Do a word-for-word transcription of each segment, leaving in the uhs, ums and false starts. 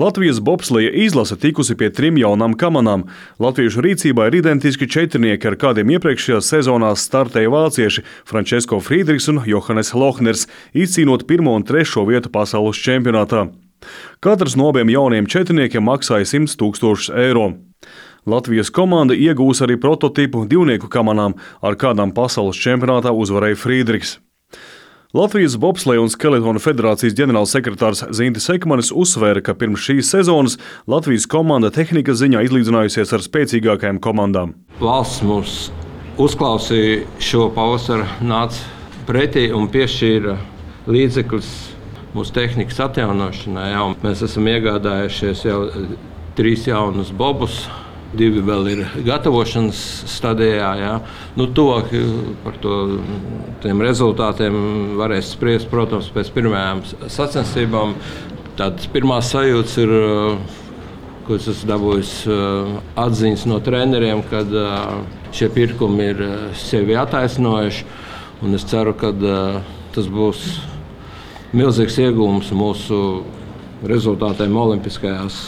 Latvijas bobsleja izlase tikusi pie trim jaunām kamanām. Latviešu rīcībā ir identiski četrnieki, ar kādiem iepriekšējās sezonās startēja vācieši Francesco Friedrichs un Johannes Lohners, izcīnot pirmo un trešo vietu pasaules čempionātā. Katrs no abiem jauniem četrniekiem maksāja simt tūkstošus eiro. Latvijas komanda iegūs arī prototipu divnieku kamanām, ar kādām pasaules čempionātā uzvarēja Friedrichs. Latvijas bobsleja un skeletona federācijas ģenerālsekretārs Zintis Ekmanis uzsvēra, ka pirms šīs sezonas Latvijas komanda tehnikas ziņā izlīdzinājusies ar spēcīgākajām komandām. Valsts mums uzklausīja šo pavasaru, nāca pretī un piešķīra līdzekļus mūsu tehnikas atjaunošanai. Jā. Mēs esam iegādājušies jau trīs jaunus bobus. Divi vēl ir gatavošanas stadijā. Jā. Nu, tuvāk par to, tiem rezultātiem varēs spriest, protams, pēc pirmajām sacensībām. Tādas pirmās sajūtas ir, ko es esmu dabūjis atziņas no treneriem, kad šie pirkumi ir sevi attaisnojuši. Un es ceru, ka tas būs milzīgs iegūms mūsu rezultātiem Olimpiskajās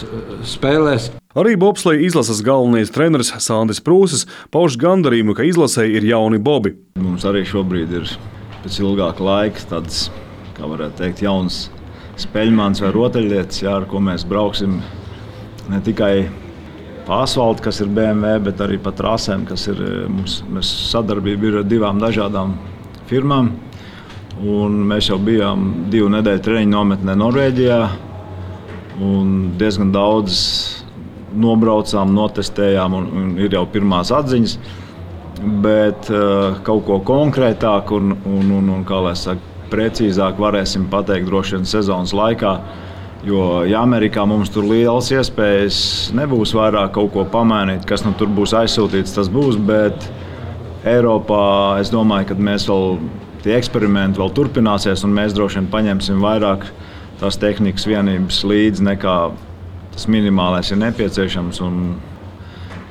spēlēs. Arī bobsleja izlases galvenais treneris Sandis Prūsis pauž gandarījumu, ka izlasē ir jauni bobi. Mums arī šobrīd ir pēc ilgāka laika tāds, kā varētu teikt, jauns speļmans vai rotaļlietas, jā, ar ko mēs brauksim ne tikai pa asfaltu, kas ir B M W, bet arī pa trasēm, kas ir mums, mēs sadarbība ir ar divām dažādām firmām. Un mēs jau bijām divu nedēļu treniņu nometnē Norvēģijā un diezgan daudz nobraucām, notestējām un, un ir jau pirmās atziņas, bet uh, kaut ko konkrētāk un, un, un, un kā lai saka, precīzāk varēsim pateikt droši vien sezonas laikā, jo ja Amerikā mums tur lielas iespējas nebūs vairāk kaut ko pamainīt, kas nu tur būs aizsūtīts, tas būs, bet Eiropā es domāju, ka mēs vēl tie eksperimenti vēl turpināsies un mēs droši vien paņemsim vairāk tās tehnikas vienības līdzi nekā tas minimālais ir nepieciešams, un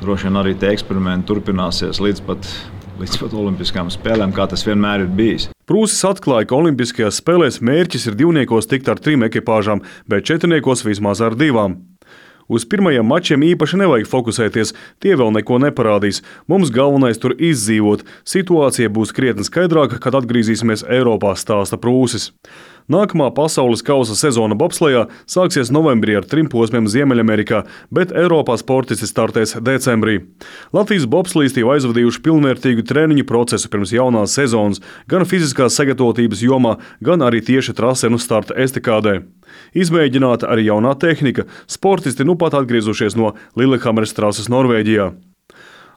droši vien arī tie eksperimenti turpināsies līdz pat, līdz pat Olimpiskajām spēlēm, kā tas vienmēr ir bijis. Prūsis atklāja, ka Olimpiskajās spēlēs mērķis ir divniekos tikt ar trim ekipāžām, bet četrniekos vismaz ar divām. Uz pirmajiem mačiem īpaši nevajag fokusēties, tie vēl neko neparādīs. Mums galvenais tur izdzīvot. Situācija būs krietni skaidrāka, kad atgriezīsimies Eiropā, stāsta Prūsis. Nākamā pasaules kausa sezona bobslejā sāksies novembrī ar trim posmiem Ziemeļamerikā, bet Eiropā sportisti startēs decembrī. Latvijas bobslisti jau aizvadījuši pilnvērtīgu treniņu procesu pirms jaunās sezonas, gan fiziskās sagatavotības jomā, gan arī tieši trasenu starta estakādē. Izmēģināta arī jaunā tehnika, sportisti nu pat atgriezušies no Lillehammeras trases Norvēģijā.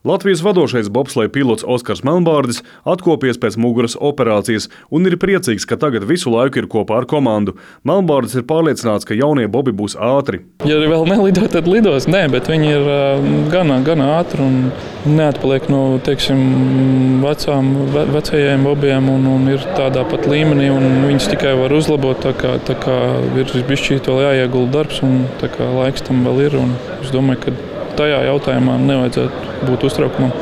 Latvijas vadošais bobsleja pilots Oskars Melnbārdis atkopies pēc muguras operācijas un ir priecīgs, ka tagad visu laiku ir kopā ar komandu. Melnbārdis ir pārliecināts, ka jaunie bobi būs ātri. Ja vēl nelido, tad lidos. Nē, bet viņi ir gana, gana ātri un neatpaliek no, teiksim, vecām, vecajiem bobiem un, un ir tādā pat līmenī un viņus tikai var uzlabot, tā kā, tā kā ir bišķīt vēl jāiegulda darbs un tā kā laiks tam vēl ir un es domāju, ka tajā jautājumā nevajadzētu būt uztraukumam.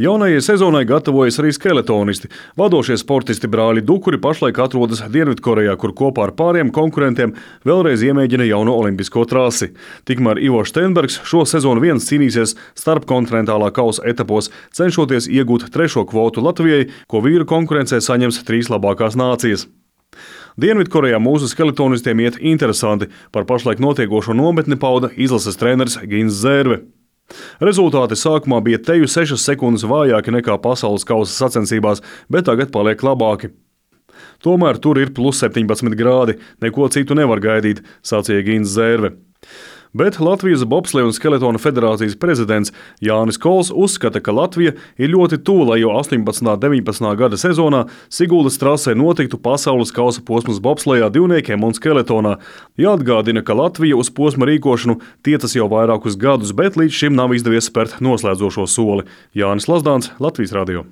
Jaunajai sezonai gatavojas arī skeletonisti. Vadošie sportisti brāļi Dukuri pašlaik atrodas Dienvidkorejā, kur kopā ar pāriem konkurentiem vēlreiz iemēģina jauno olimpisko trasi. Tikmēr Ivo Steinbergs šo sezonu viens cīnīsies starpkontinentālā kausa etapos, cenšoties iegūt trešo kvotu Latvijai, ko vīru konkurencē saņems trīs labākās nācijas. Dienvidkorejā mūsu skeletonistiem iet interesanti. Par pašlaik notiekošo nometni pauda izlases treneris Gins Zērve. Rezultāti sākumā bija teju sešas sekundes vājāki nekā pasaules kausa sacensībās, bet tagad paliek labāki. Tomēr tur ir plus septiņpadsmit grādi, neko citu nevar gaidīt, sacīja Gins Zērve. Bet Latvijas bobsleja un skeletona federācijas prezidents Jānis Kols uzskata, ka Latvija ir ļoti tuvu, lai jau astoņpadsmitā un deviņpadsmitā gada sezonā Siguldas trasē notiktu pasaules kausa posms bobslejā divniekiem un skeletonā. Jāatgādina, ka Latvija uz posma rīkošanu tiecas jau vairākus gadus, bet līdz šim nav izdevies spērt noslēdzošo soli. Jānis Lazdāns, Latvijas radio.